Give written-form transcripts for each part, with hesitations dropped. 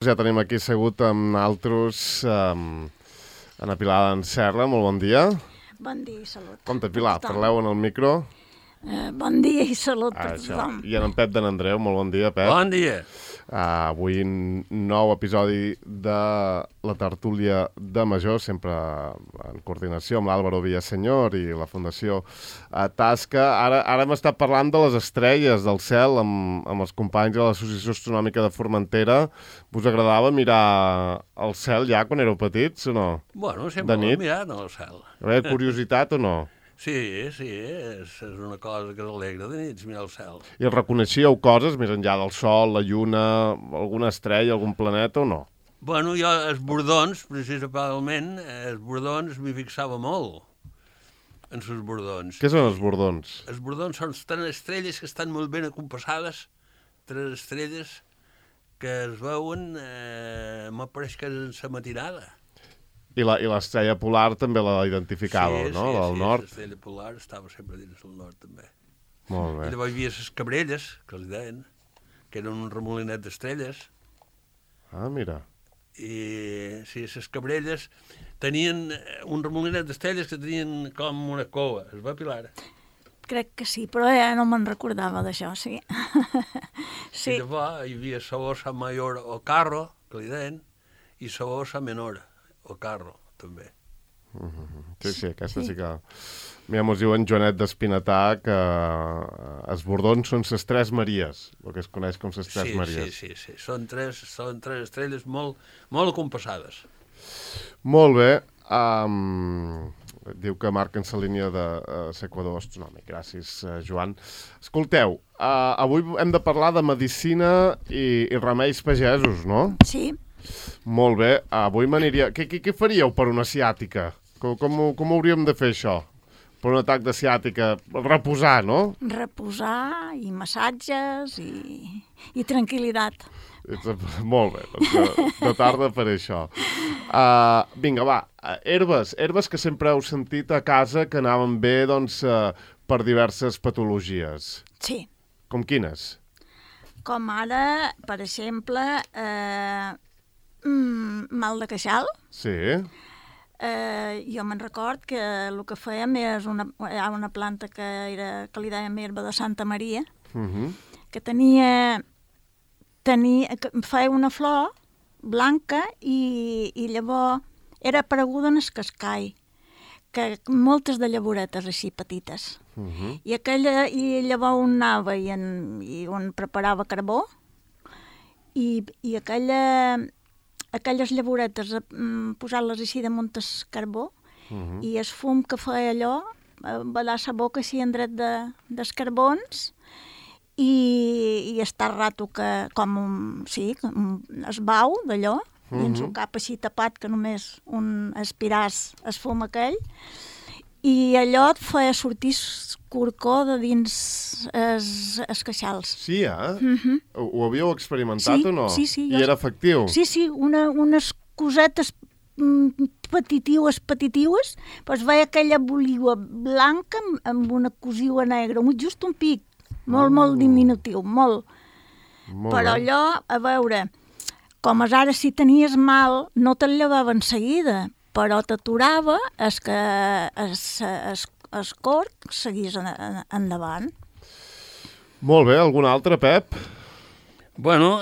Ja tenim aquí assegut amb altres Ana Pilar d'en Serra. Molt bon dia. Bon dia i salut. Com Pilar? Parleu en el micro. Bon dia i salut per tothom. I en Pep de n'Andreu. Molt bon dia, Pep. Bon dia. Avui nou episodi de la tertúlia de Major, sempre en coordinació amb l'Àlvaro Villasenyor i la Fundació Tasca. Ara hem estat parlant de les estrelles del cel amb els companys de l'Associació Astronòmica de Formentera. Us agradava mirar el cel ja quan éreu petits o no? Bueno, sempre l'he mirat al cel. Hi curiositat o no? Sí, és una cosa que s'alegra de nits, mirar el cel. I reconeixíeu coses més enllà del Sol, la Lluna, alguna estrella, algun planeta o no? Bueno, jo, els bordons, principalment, els bordons m'hi fixava molt, en els bordons. Què són els bordons? Els bordons són tres estrelles que estan molt ben acompassades, tres estrelles que es veuen, m'apareix que és en la matinada. I l'estrella polar també la identificava, no? Del nord. Sí, l'estrella polar estava sempre dins del nord, també. Molt bé. I llavors hi havia les cabrelles, que els deien, que eren un remolinet d'estrelles. Ah, mira. I sí, les cabrelles tenien un remolinet d'estrelles que tenien com una cova. Es va, Pilar? Crec que sí, però ja no me'n recordava d'això, sí. Sí. I llavors hi havia la Osa Mayor o Carro, que li deien, i la Osa Menor o Carro, també. Sí, aquesta sí que... Mira, mos diuen Joanet d'Espinatà que els bordons són les tres Maries, el que es coneix com les tres Maries. Sí. Són tres estrelles molt compassades. Molt bé. Diu que marquen la línia de l'Equador astronòmic. Gràcies, Joan. Escolteu, avui hem de parlar de medicina i remeis pagesos, no? Sí. Molt bé. Avui m'aniria... Què faríeu per una ciàtica? Com hauríem de fer això? Per un atac de ciàtica? Reposar, no? Reposar i massatges i tranquil·litat. Molt bé, doncs de tarda per això. Vinga, va, herbes que sempre heu sentit a casa que anaven bé, doncs, per diverses patologies. Sí. Com quines? Com ara, per exemple, mal de queixal. Sí. Jo me'n record que el que fèiem és una planta que li dèiem herba de Santa Maria, que feia una flor blanca i llavors era apareguda en el cascall, que moltes de llaboretes així petites. I llavors on anava i on preparava carbó i aquelles llaboretes, posar-les així damunt el carbó i el fum que feia allò, ballar la boca així en dret dels carbons i estar rato que com es bau d'allò i ens un cap així tapat que només un aspiràs el fum aquell i allò et feia sortir corcó de dins els queixals. Sí, Ho havíeu experimentat o no? Sí. I era efectiu? Sí, unes cosetes petitiues, doncs veia aquella boligua blanca amb una cosiua negra, just un pic, molt diminutiu, molt. Però allò, a veure, com ara si tenies mal, no te'l llevava en seguida, però t'aturava que el corc seguís endavant. Molt bé, algun altre, Pep? Bueno,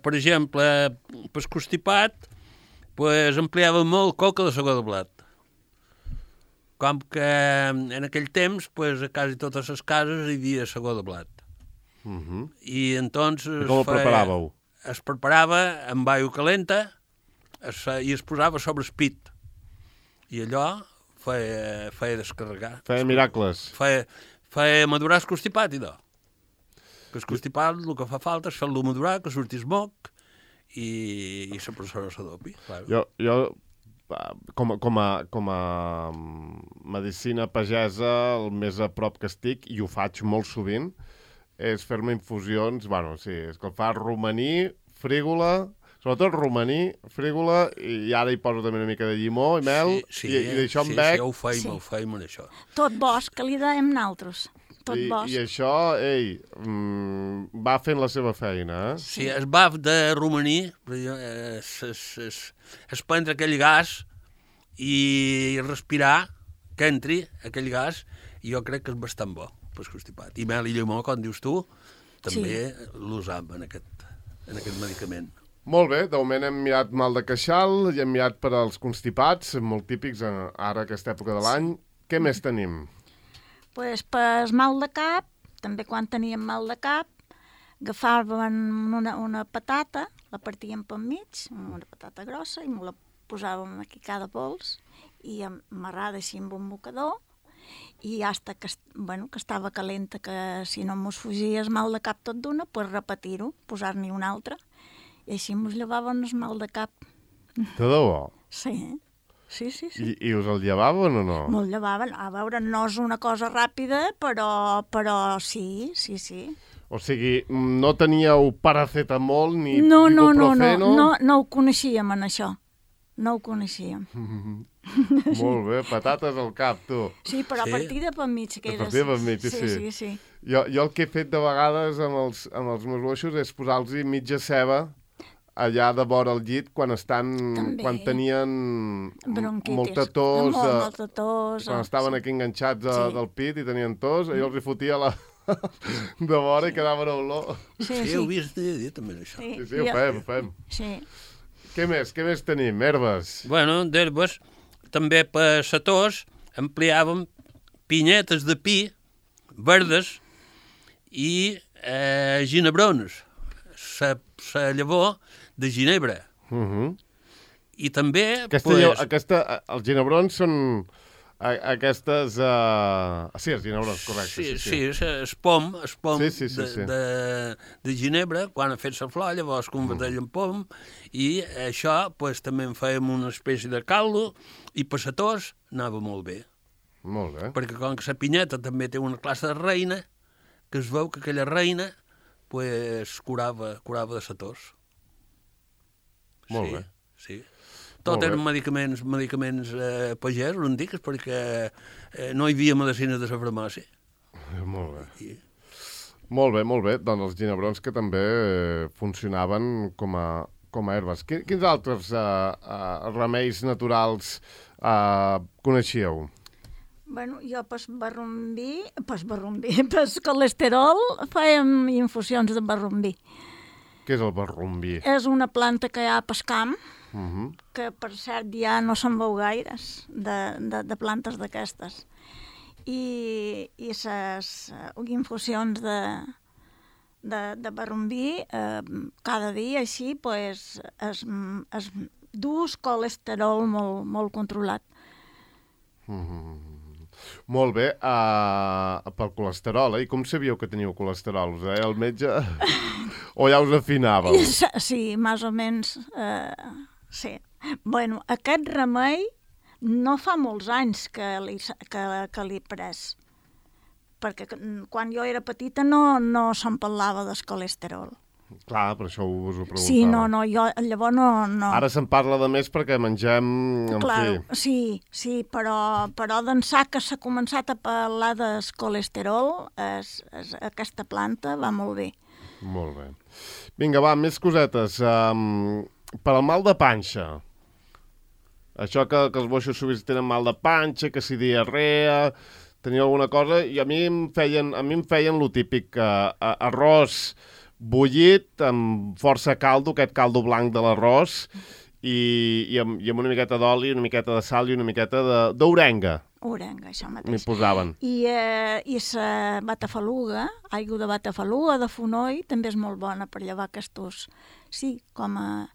per exemple, per constipat, empleava molt coca de segó de blat. Com que en aquell temps, a quasi totes les cases hi havia segó de blat. I entonces... I com ho preparàveu? Es preparava amb aigua calenta i es posava sobre el pit. I allò feia descarregar. Feia miracles. Feia madurar el constipat, idò. Que el constipat el que fa falta és fer-lo madurar, que surti el moc i la persona s'adopi. Jo com a medicina pagesa, el més a prop que estic, i ho faig molt sovint, és fer-me infusions, escalfar romaní, frígola, sobretot romaní, frígola, i ara hi poso també una mica de llimó i mel, i d'això em bec. Sí, ho feim en això. Tot bosc, que li dèiem nosaltres. tot bosc. I això, va fent la seva feina, eh? Sí, el baf de romaní és prendre aquell gas i respirar, que entri aquell gas, i jo crec que és bastant bo per constipat. I mel i llimó, com dius tu, també l'usam en aquest medicament. Molt bé, de moment hem mirat mal de queixal i hem mirat per als constipats, molt típics ara aquesta època de l'any. Què més tenim? Pues per mal de cap, també quan teníem mal de cap, agafàvem una patata, la partíem pel mig, una patata grossa, i me la posàvem aquí cada pols, i amarrada així amb un mocador, i hasta que estava calenta, que si no mos fugia el mal de cap tot d'una, pues repetir-ho, posar-n'hi una altra, i així mos llevaven el mal de cap. De debò? Sí. Sí. I us el llevaven o no? Me'l llevaven. A veure, no és una cosa ràpida, però sí. O sigui, no teníeu paracetamol ni No ho coneixíem, en això. No ho coneixíem. Molt bé, patates al cap, tu. Sí, però a partir de pel mig. A partir de pel mig, sí. Jo el que he fet de vegades amb els meus boixos és posar-los mitja ceba allà de vora el llit quan tenien molta tos, quan estaven aquí enganxats del pit i tenien tos, jo els hi fotia de vora i quedaven a olor. Sí, ho havies de dir també, això. Sí, ho fem. Sí. Què més tenim? Herbes? Bueno, d'herbes, també per la tos empleàvem pinyetes de pi verdes i ginebrons, la llavor de ginebre. I també... Els ginebrons són aquestes... Sí, els ginebrons, correcte. Sí, el pom de ginebre, quan ha fet la flor, llavors converteix en pom, i això també en fèiem una espècie de caldo, i per la tos anava molt bé. Molt bé. Perquè com que la pinyeta també té una classe de reina, que es veu que aquella reina curava de la tos. Molt bé. Sí. Tot eren medicaments pagesos, no en digues, perquè no hi havia medicines de la farmàcia. Molt bé. Molt bé. Doncs els ginebrons que també funcionaven com a herbes. Quins altres remeis naturals coneixíeu? Bueno, jo pel colesterol fèiem infusions de barrumbí. Què és el barrumbí? És una planta que hi ha pel camp, que per cert ja no se'n veu gaires, de plantes d'aquestes. I les infusions de barrumbí, cada dia així, es dus colesterol molt controlat. Molt bé, pel colesterol, i com sabíeu que teníeu colesterol? Us deia el metge o ja us afinàveu? Sí, més o menys, sí. Bueno, aquest remei no fa molts anys que l'he pres, perquè quan jo era petita no se'n parlava del colesterol. Clar, per això us ho preguntava. Sí, jo llavors no... Ara se'n parla de més perquè mengem... Clar, sí, però d'ençà que s'ha començat a parlar del colesterol, aquesta planta va molt bé. Molt bé. Vinga, va, més cosetes. Per al mal de panxa. Això que els boixos sovint tenen mal de panxa, que si diarrea, teniu alguna cosa, i a mi em feien lo típic, arròs bullit amb força caldo, aquest caldo blanc de l'arròs, i amb una miqueta d'oli, una miqueta de sal i una miqueta d'orenga. Orenga, això mateix. M'hi posaven. I la batafaluga, aigua de batafaluga, de fonoll, també és molt bona per llevar aquests, sí, com a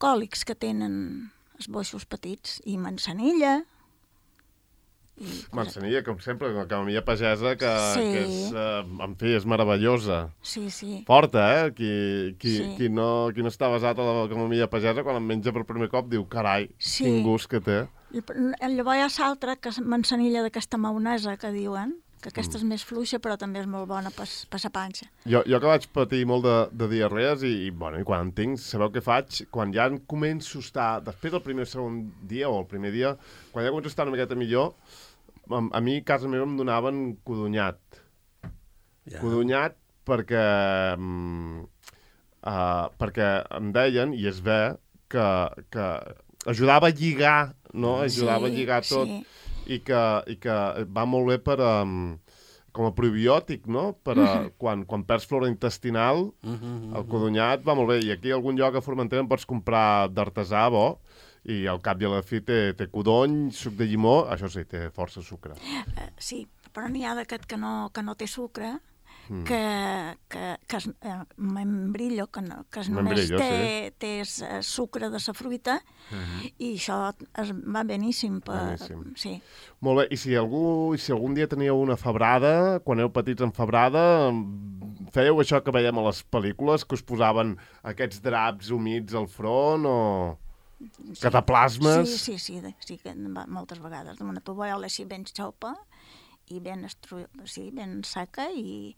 còlics que tenen els boixos petits, i manzanilla. Manzanilla, com sempre, una camamilla pagesa que és, en fi, és meravellosa. Sí. Forta, Qui no està basat a la camamilla pagesa, quan en menja per primer cop, diu, carai, quin gust que té. Llavors hi ha l'altra, que és manzanilla d'aquesta maonesa, que diuen, que aquesta és més fluixa, però també és molt bona per la panxa. Jo que vaig patir molt de diarrees i quan en tinc, sabeu què faig? Quan ja començo a estar, després del primer o segon dia, o el primer dia, quan ja començo a estar una miqueta millor, a mi a casa meva em donaven codonyat. Ja. Codonyat perquè em deien, i es ve, que ajudava a lligar, no? Ajudava a lligar tot. Sí. I que va molt bé per com a probiòtic, no? Per quan perds flora intestinal, el codonyat va molt bé. I aquí a algun lloc a Formentera en pots comprar d'artesà bo, i al cap i a la fi té codony, suc de llimó, això sí, té força sucre. Sí, però n'hi ha d'aquest que no té sucre, que és membrillo, que només Membrillo, té sucre de la fruita, i això va beníssim. Beníssim. Sí. Molt bé, i si algun dia teníeu una febrada, quan éreu petits en febrada, fèieu això que veiem a les pel·lícules, que us posaven aquests draps humits al front, o cataplasmes? Sí, que moltes vegades. Una tovallola així ben xopa, i ben seca, i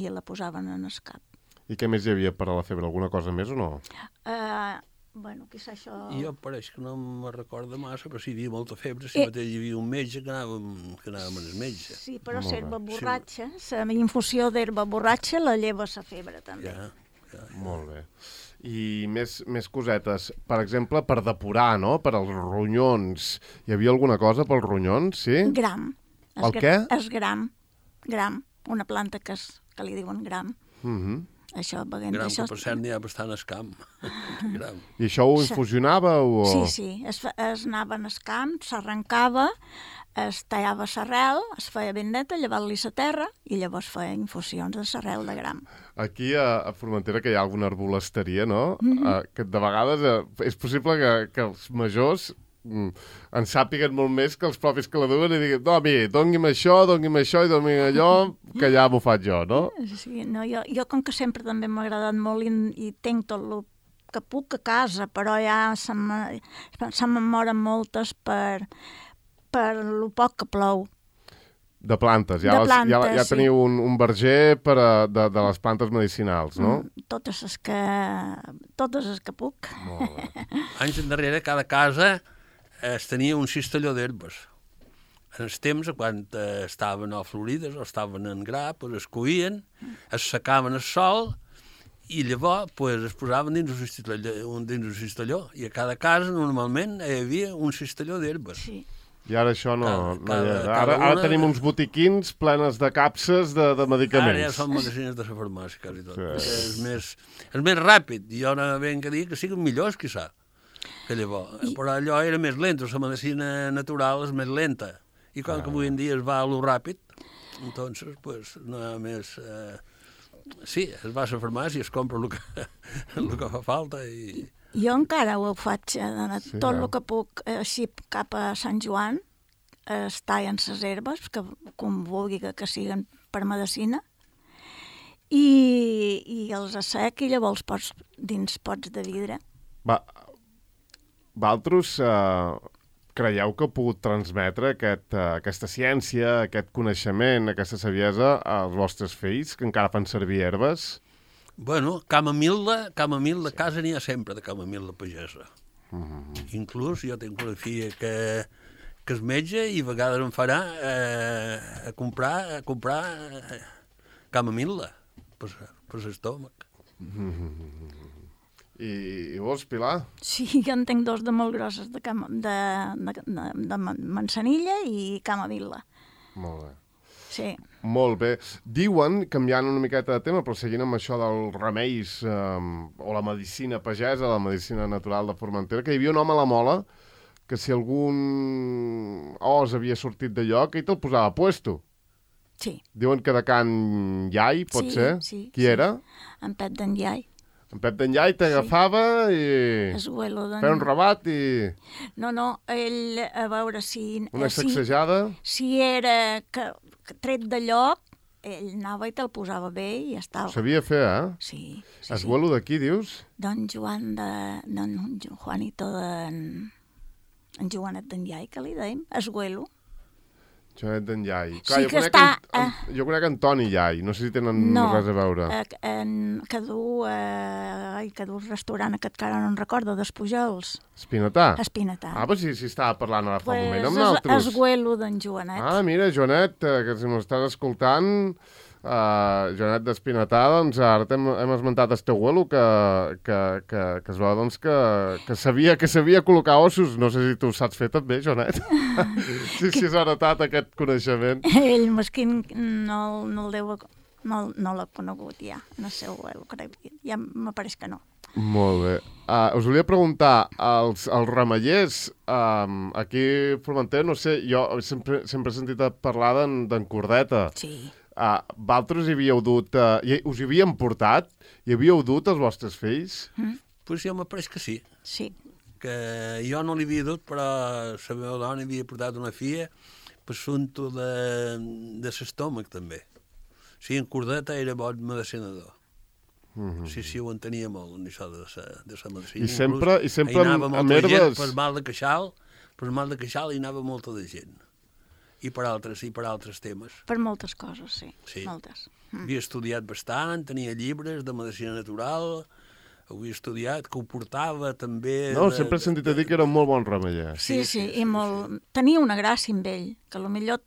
la posaven en el cap. I què més hi havia per a la febre? Alguna cosa més o no? Bueno, quizà això... Jo pareix que no me recordo massa, però sí, hi havia molta febre, si mateix hi havia un metge que anàvem amb el metge. Sí, però l'herba borratxa, la infusió d'herba borratxa la lleva la febre, també. Ja. Molt bé. I més cosetes. Per exemple, per depurar, no? Per als ronyons. Hi havia alguna cosa pels ronyons, sí? Gram. El què? És gram. Una planta que li diuen gram. Això, Gram, que per cert n'hi ha bastant al camp. Gram. I això ho infusionàveu? Sí. Es anava en el camp, s'arrencava, es tallava l'arrel, es feia ben neta, llevar-li la terra, i llavors feia infusions de l'arrel de gram. Aquí a Formentera, que hi ha alguna arbolasteria, no? Que de vegades és possible que els majors en sàpiguen molt més que els propis que la duen i diguin, no, mira, doni'm això i doni'm allò, que ja m'ho faig jo, no? Sí, no, jo com que sempre també m'ha agradat molt i tenc tot el que puc a casa, però ja se me'n moren moltes per lo poc que plou. De plantes, ja sí. Teniu un verger de les plantes medicinals, no? Totes les que puc. Molt bé. Anys endarrere, cada casa es tenia un cistelló d'herbes. En els temps, quan estaven florides o estaven en gra, es coïen, es secaven al sol i llavors es posaven dins un cistelló. I a cada casa, normalment, hi havia un cistelló d'herbes. Sí. I ara això no hi ha. Ara tenim uns botiquins plenes de capses de medicaments. Ara ja són medicines de la farmàcia, quasi tot. Sí. És més ràpid. Jo no ben que dir que siguin millors, quizà, que llavors. Però allò era més lent, la medicina natural és més lenta. I com que avui en dia es va a lo ràpid, entonces, no hi ha més... Sí, es va a la farmàcia, es compra el que fa falta i... Jo encara ho faig, tot el que puc, així cap a Sant Joan, es tallen les herbes, que com vulgui que siguen per medicina, i els assec i llavors pots dins pots de vidre. Vosaltres creieu que heu pogut transmetre aquesta ciència, aquest coneixement, aquesta saviesa als vostres fills, que encara fan servir herbes? Bueno, camamil·la, casa n'hi ha sempre de camamil·la pagesa. Inclús jo tinc una filla que és metge i a vegades em farà a comprar camamil·la per l'estómac. I vols, Pilar? Sí, jo en tinc dos de molt grosses, de manzanilla i camamil·la. Molt bé. Sí. Molt bé. Diuen, canviant una miqueta de tema, però seguint amb això dels remeis o la medicina pagesa, la medicina natural de Formentera, que hi havia un home a la Mola que si algun os havia sortit de lloc, ell te'l posava a puesto. Sí. Diuen que de Can Iai, pot ser? Sí. Qui era? En Pep d'en Iai. En Pep d'en Iai t'agafava i... feia un rebat i... No, ell, a veure si... Una sacsejada? Si era tret de lloc, ell anava i te'l posava bé i ja estava. Ho sabia fer, Sí. Esguelo d'aquí, dius? Don Juanito en Joanet d'en Iai, que li dèiem, Esguelo. Joanet d'en Llai. Sí que està... Jo conec Antoni Llai, no sé si tenen res a veure. Que du restaurant aquest que ara no en recordo, d'Espujols. Espinatà? Espinatà. Però si estava parlant ara fa un moment amb nosaltres. Esguelo d'en Joanet. Mira, Joanet, que si m'estàs escoltant... Joanet d'Espinatà, doncs ara hem esmentat el teu abuelo que es veu doncs, que sabia col·locar ossos. No sé si tu ho saps fer també, Joanet. Si has heretat aquest coneixement. Ell, mesquin, no el deu... No l'ha conegut ja, en el seu abuelo, crec. Ja m'apareix que no. Molt bé. Us volia preguntar, els remeiers, aquí a Formentera, no sé, jo sempre he sentit parlar d'en Cordeta. Sí. Vosaltres hi havíeu dut, us hi havíem portat? Hi havíeu dut els vostres fills? Pues jo m'apareix que sí. Sí. Que jo no li havia dut, però la meva dona havia portat una filla per assumpte de l'estómac, també. Sí, en Cordeta era bon medicinador. Sí, ho entenia molt, això de la medicina. I sempre amb herbes... Per mal de queixal hi anava molta de gent. I per altres temes. Per moltes coses, sí. Moltes. Havia estudiat bastant, tenia llibres de medicina natural, havia estudiat, que ho portava també... No, sempre he sentit a dir que era un molt bon remeier. Sí, i molt... Tenia una gràcia amb ell, que potser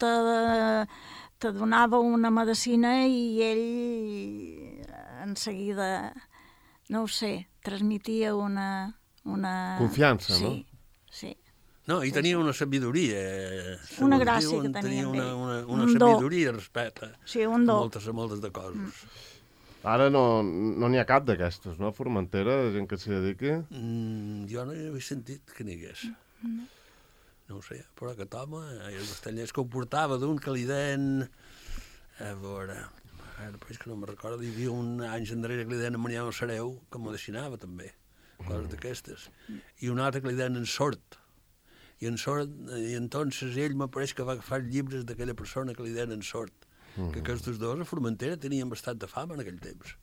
te donava una medicina i ell en seguida, no ho sé, transmetia una... Confiança, no? Sí. No, i tenia una sabidoria. Una gràcia que tenia amb ell. Una sabidoria respecte un do. a moltes de coses. Ara no n'hi ha cap d'aquestes, no? A Formentera, gent que s'hi dediqui? Jo no hi havia sentit que n'hi hagués. No ho sé, però aquest home, els castellers que ho portava d'un que li deien... A veure, ara pues que no me'n recordo, hi havia anys enrere que li deien a Mariano Sareu, que medicinava també, coses d'aquestes. I un altre que li deien en Sort. I entonces ell m'apareix que va agafar llibres d'aquella persona que li deien en Sort, que aquests dos a Formentera tenien bastant de fama en aquell temps.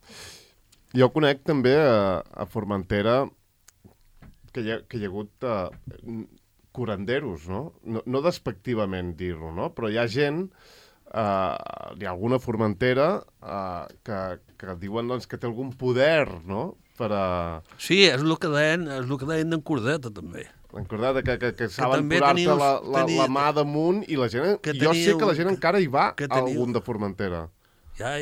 Jo conec també a Formentera que hi ha hagut curanderos, no? No despectivament dir-ho, no? Però hi ha gent, hi ha alguna Formentera que diuen doncs, que té algun poder, no? Sí, és el que deien d'en Cordeta, també. En Cordeta, que saben posar-te la mà damunt i la gent... Jo sé que la gent encara hi va a algun de Formentera. Ja.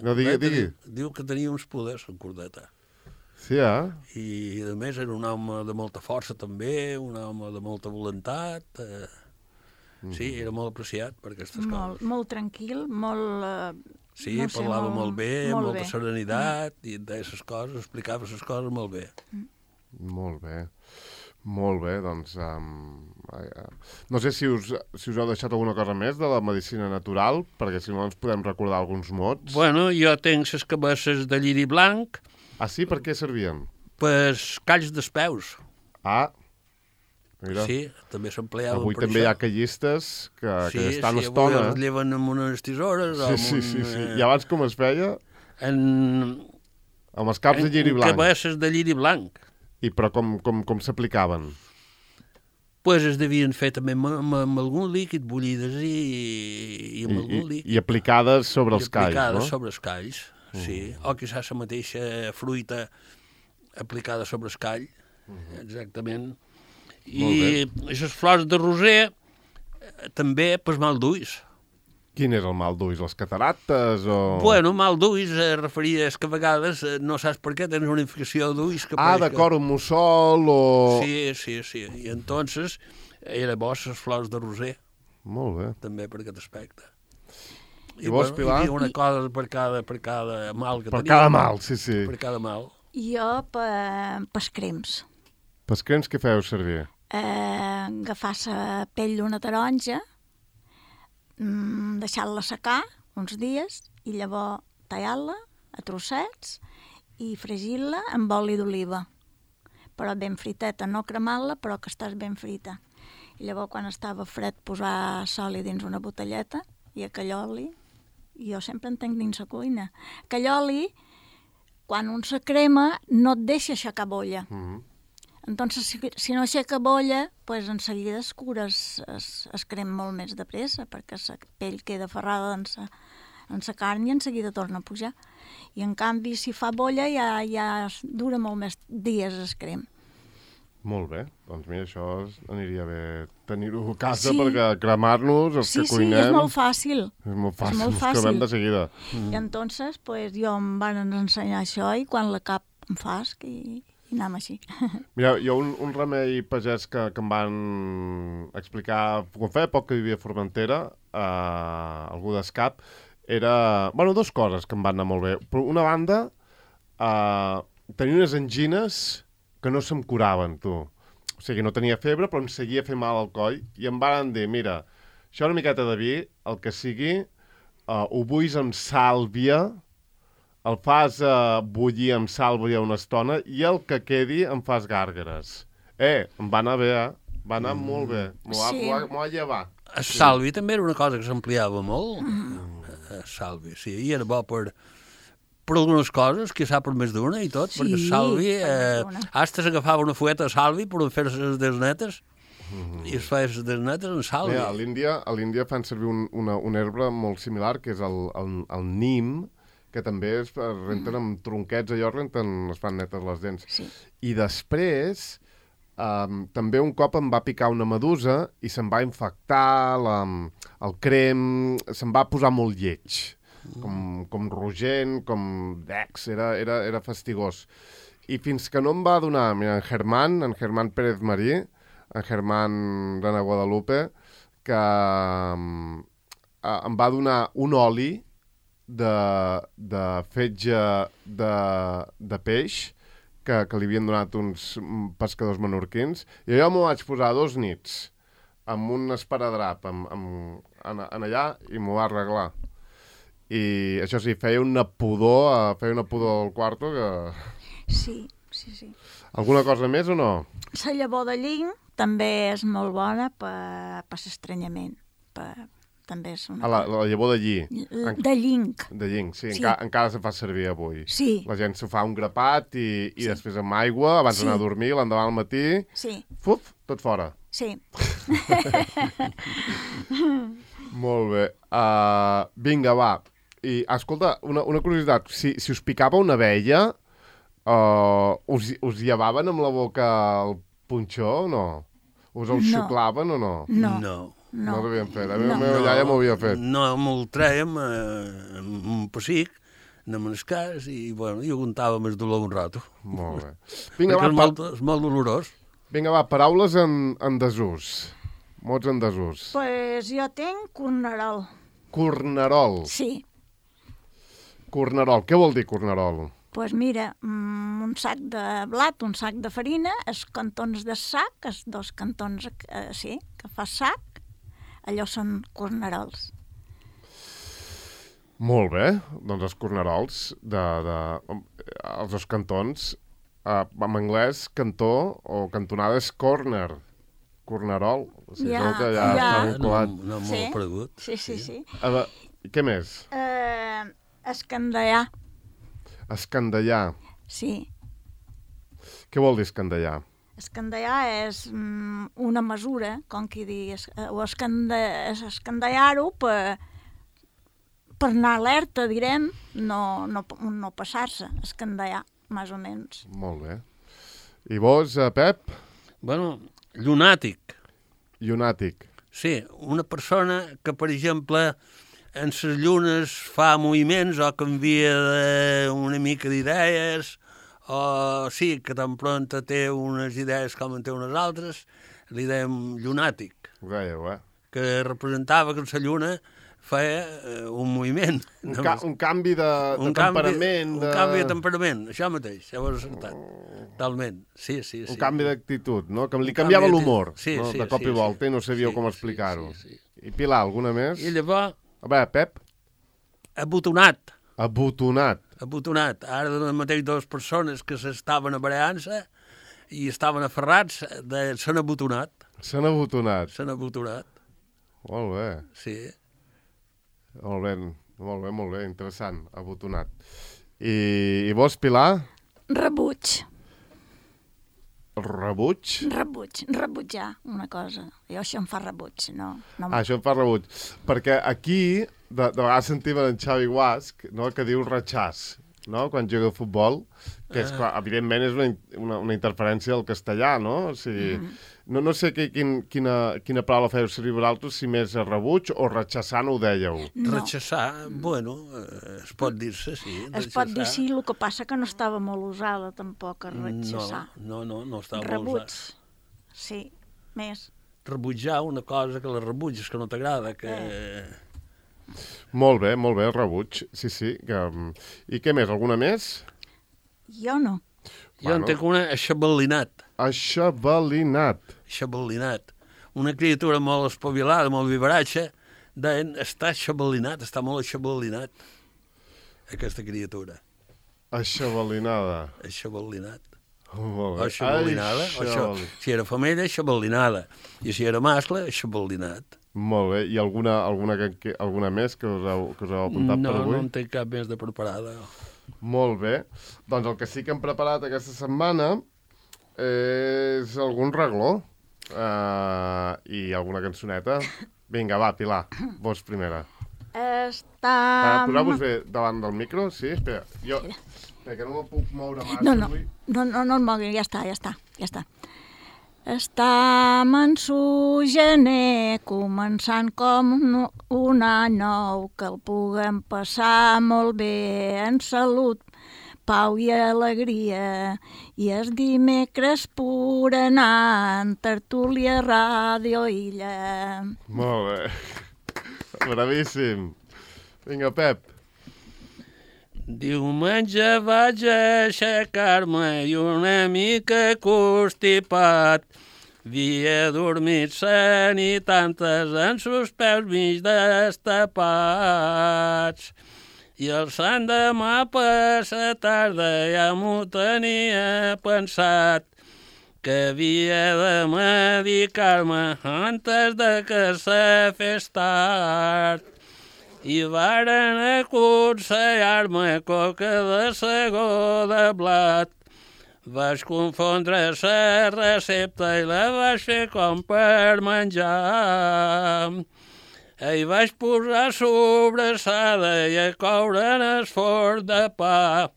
No, digui. Diu que tenia uns poders, en Cordeta. Sí, I, a més, era un home de molta força, també, un home de molta voluntat. Sí, era molt apreciat per aquestes coses. Molt tranquil, molt... Sí, parlava molt bé, amb molta serenitat, i deia les coses, explicava les coses molt bé. Molt bé. Molt bé, doncs... no sé si us heu deixat alguna cosa més de la medicina natural, perquè si no ens podem recordar alguns mots. Bueno, jo tenc les cabesses de lliri blanc. Ah, sí? Per què servien? Pues calls dels peus. Mira. Sí, també s'empleaven avui també hi ha callistes que estan estona. Sí, avui es lleven amb unes tisores. Sí. I abans com es feia? Amb els caps de lliri blanc. Cabesses de lliri blanc. Però com s'aplicaven? Pues es devien fer també amb algun líquid, bullides i amb algun líquid. I aplicades sobre els calls, no? Aplicades sobre els calls, sí. O quizás la mateixa fruita aplicada sobre el call, exactament. I les flors de roser també per mal d'ulls. Quin és el mal d'ulls? Les catarates o...? Bueno, mal d'ulls referia que a vegades no saps per què tens una infecció d'ulls que... d'acord, un mussol o... Sí. I entonces era bo les flors de roser. Molt bé. També per aquest aspecte. I vos, Pilar? Hi havia una cosa per cada mal que tenia. Per cada mal, sí. Per cada mal. Jo pels crems. Pels crems què feu servir? Agafar la pell d'una taronja, deixar-la secar uns dies i llavors tallar-la a trossets i fregir-la amb oli d'oliva. Però ben friteta, no cremar-la, però que estàs ben frita. I llavors, quan estava fred, posar l'oli dins una botelleta i aquell oli, jo sempre en tenc dins la cuina. Aquell oli, quan un se crema, no et deixa aixecar bolla. Entonces, si no aixeca bolla, pues enseguida es cura, es crem molt més de pressa, perquè la pell queda ferrada en la carn i enseguida torna a pujar. I en canvi, si fa bolla, ja dura molt més dies es crem. Molt bé, doncs mira, això aniria bé tenir-ho a casa perquè cremar-nos, els que cuinem... Sí, és molt fàcil. És molt fàcil, ens cremem de seguida. I entonces, pues, jo em van ensenyar això i quan la cap em fas i anem així. Mira, jo un remei pagès que em van explicar, quan feia poc que vivia a Formentera, algú d'Escap, era... Bueno, dues coses que em van anar molt bé. Per una banda, tenia unes angines que no se'm curaven, tu. O sigui, no tenia febre, però em seguia fent mal al coll, i em van dir, mira, això una miqueta de vi, el que sigui, ho bullis amb sàlvia, el fas bullir amb sàlvia una estona, i el que quedi em fas gàrgares. Em va anar bé, va anar molt bé. M'ho va llevar. El sàlvi també era una cosa que s'ampliava molt. El sàlvi, sí, i era bo per algunes coses, que sap per més d'una i tot, perquè Salvi, hasta s'agafava una fueta a Salvi per fer les desnetes, i es feia les desnetes en Salvi. A l'Índia fan servir una herba molt similar, que és el nim, que també es renten amb tronquets, allò es fan netes les dents. Sí. I després, també un cop em va picar una medusa i se'm va infectar el crem, se'm va posar molt lleig. Com rogent, com d'ex, era fastigós. I fins que no em va donar, mira, en Germán Pérez Marí, en Germán de Guadalupe, que em va donar un oli de fetge de peix que li havien donat uns pescadors menorquins, i jo m'ho vaig posar 2 nits amb un esparadrap allà i m'ho va arreglar. I això sí, feia una pudor al quarto que... Sí. Alguna cosa més o no? La llavor de llinc també és molt bona per l'estranyament. També és una... La llavor de lli. De llinc. De llinc, sí. Encara se fa servir avui. Sí. La gent s'ho fa un grapat i després amb aigua, abans d'anar a dormir, l'endemà al matí... Sí. Fuf, tot fora. Sí. Molt bé. Vinga, va. I, escolta, una curiositat. Si us picava una abella, us llevaven amb la boca el punxó o no? Us el xuclaven o no? No. No ho havien fet. La meva iaia m'ho havia fet. No, me'l trèiem amb un pessic, anem al cas, i bueno, jo aguantava més dolor un rato. Molt bé. És molt dolorós. Vinga, va, paraules en desús. Mots en desús. Pues jo tinc cornerol. Cornerol. Sí. Cornerol. Què vol dir cornerol? Pues mira, un sac de blat, un sac de farina, els cantons de sac, els 2 cantons, que fa sac, allò són cornerols. Molt bé. Doncs els cornerols, els 2 cantons, en anglès, cantó o cantonada és corner. Cornerol. O sigui, que ja està un colat. No molt pregut. Sí. Què més? Escandallar. Escandallar. Sí. Què vol dir escandallar? Escandallar és una mesura, com qui dir, o escandallar-ho per anar alerta, direm, no passar-se, escandallar, més o menys. Molt bé. I vos, Pep? Bueno, llunàtic. Llunàtic. Sí, una persona que, per exemple, en les llunes fa moviments o canvia una mica d'idees, o sí, que tan pronta té unes idees com en té unes altres, li dèiem llunàtic. Ho dèieu, Que representava que la lluna feia un moviment. Un canvi de temperament. Un canvi de temperament, això mateix, ja ho has acertat. Talment, sí. Un canvi d'actitud, no? Que li canviava l'humor, de cop i volta, i no sabíeu com explicar-ho. I Pilar, alguna més? I llavors... A veure, Pep? Abotonat. Abotonat. Ara mateix 2 persones que s'estaven aparellant-se i estaven aferrats, s'han abotonat. S'han abotonat. Molt bé. Sí. Molt bé, interessant, abotonat. I vos, Pilar? Rebuig. El rebuig? Rebutjar una cosa. Jo això em fa rebuig, no. Això em fa rebuig. Perquè aquí, de vegades sentim en Xavi Guasc, no?, que diu ratxàs, no?, quan juga a futbol, que és, clar, evidentment és una interferència del castellà, no? O sigui, no sé quina paraula feu servir vosaltres, si més rebuig o ratxassar no ho dèieu. No. Ratxassar, bueno, es pot dir-se, sí. Es pot dir sí, el que passa que no estava molt usada tampoc, a ratxassar. No estava molt Rebuig, usada. sí, més. Rebutjar una cosa que la rebutges, que no t'agrada, que... Molt bé, rebuig, sí. I què més, alguna més? Jo no. Jo en tinc una aixabalinat. Aixabalinat. Una criatura molt espavilada, molt vivaratxa, deien, està aixabalinat, està molt aixabalinat, aquesta criatura. Aixabalinada. O aixabalinada. Si era femella, aixabalinada. I si era mascle, aixabalinat. Molt bé. I alguna més que us heu apuntat per avui? No en tinc cap més de preparada. Molt bé. Doncs el que sí que hem preparat aquesta setmana és algun regló i alguna cançoneta. Vinga, va, Pilar, vos primera. Poseu-vos bé davant del micro, sí? Espera, que no me'l puc moure massa avui. No el mogui, ja està. Estam en su gener, començant com un any nou, que el puguem passar molt bé en salut, pau i alegria. I el dimecres per anar en tertúlia Ràdio Illa. Molt bé. Bravíssim. Vinga, Pep. Diumenge vaig aixecar-me i una mica constipat. Havia dormit cent i tantes en sus peus mig destapats. I el sant demà per la tarda ja m'ho tenia pensat, que havia de medicar-me antes de que se fes tard. I varen aconsellar-me coca de segó de blat. Vaig confondre la recepta i la vaig fer com per menjar. I vaig posar sobrassada i a coure en el forn de pa.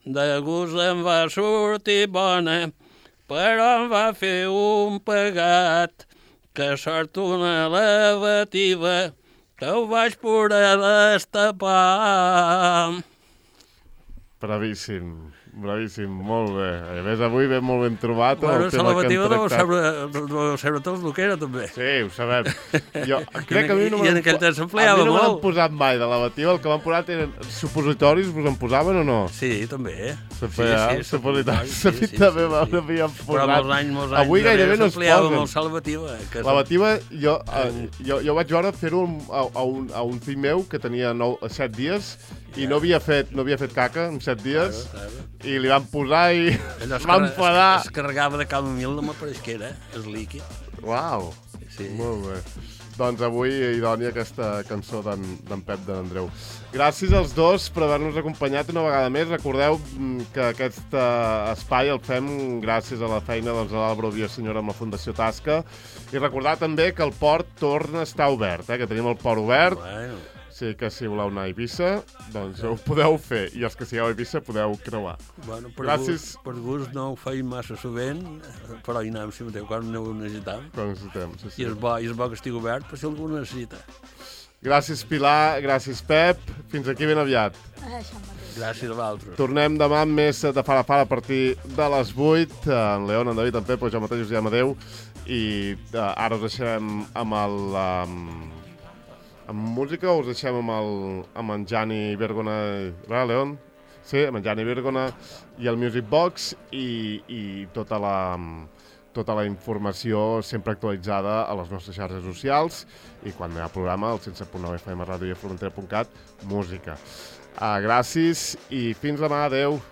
De gust em va sortir bona, però em va fer un pegat, que sort una lavativa, que ho vaig poder destapar. Bravíssim, molt bé. A més, avui ve molt ben trobat el tema que hem tractat. Deu saber tots el que era, també. Sí, ho sabem. Jo crec que a mi no me l'han posat mai de lavativa. El que m'han posat eren supositoris, vos en posaven o no? Sí, també. Supositoris. També m'havien posat. Però molts anys avui gairebé no es posen. Molt lavativa. Lavativa, jo vaig veure fer-ho a un fill meu que tenia 7 dies i no havia fet caca en 7 dies. I li van posar i es va enfadar. Es carregava de camomil, no m'apareix que era, el líquid. Uau, molt bé. Doncs avui idònia aquesta cançó d'en Pep de l'Andreu. Gràcies als dos per haver-nos acompanyat una vegada més. Recordeu que aquest espai el fem gràcies a la feina de l'Àlvaro Villaseñor amb la Fundació Tasca. I recordar també que el port torna a estar obert, que tenim el port obert. Sí, que si voleu anar a Eivissa, doncs ho podeu fer. I els que sigueu a Eivissa podeu creuar. Bueno, per gust no ho feim massa sovint, però hi anem si mateix, quan ho necessitem. I és bo que estigui obert per si algú ho necessita. Gràcies, Pilar, gràcies, Pep. Fins aquí ben aviat. Gràcies a vosaltres. Tornem demà amb més de Fara Fara a partir de les 8. En León, en David, en Pep, jo mateix us diem adeu. I ara us deixem amb amb música o us deixem amb en Gianni Vergona, León? Sí, amb en Gianni Vergona i el Music Box i tota la informació sempre actualitzada a les nostres xarxes socials i quan hi ha programa, el 107.9 FM Ràdio i Formentera.cat, música. Gràcies i fins demà, adeu.